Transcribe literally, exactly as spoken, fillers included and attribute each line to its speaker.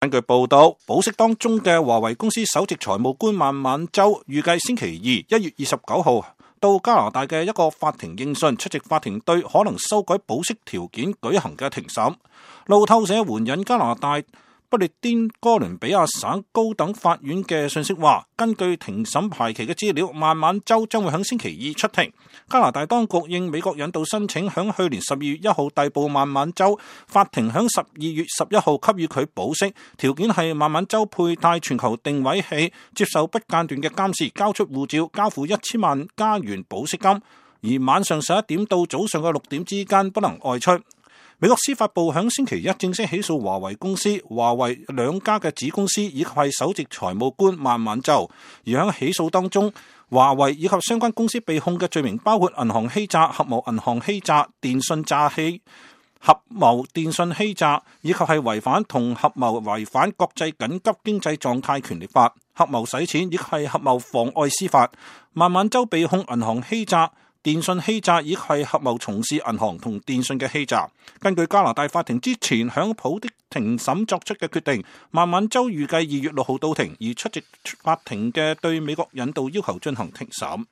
Speaker 1: 根據報道，保釋當中嘅華為公司首席財務官孟晚舟預計星期二一月二十九號到加拿大嘅一個法庭應訊，出席法庭對可能修改保釋條件舉行嘅庭審。路透社援引加拿大不列顛哥倫比亞省高等法院嘅信息話，根據庭審排期嘅資料，孟晚舟將會喺星期二出庭。加拿大當局應美國引渡申請，響去年十二月一號逮捕孟晚舟，法庭響十二月十一號給予佢保釋，條件係孟晚舟佩戴全球定位器，接受不間斷嘅監視，交出護照，交付一千萬加元保釋金，而晚上十一點到早上嘅六點之間不能外出。美國司法部響星期一正式起訴華為公司、華為兩家嘅子公司以及係首席財務官孟晚舟。而喺起訴當中，華為以及相關公司被控嘅罪名包括銀行欺詐、合謀銀行欺詐、電信詐欺、合謀電信欺詐，以及係違反同合謀違反國際緊急經濟狀態權力法、合謀洗錢以及係合謀妨礙司法。孟晚舟被控銀行欺詐、電信欺詐以及係合謀從事銀行同電信嘅欺詐。根據加拿大法庭之前響普的庭審作出嘅決定，孟晚舟預計二月六號到庭，而出席法庭嘅對美國引渡要求進行庭審。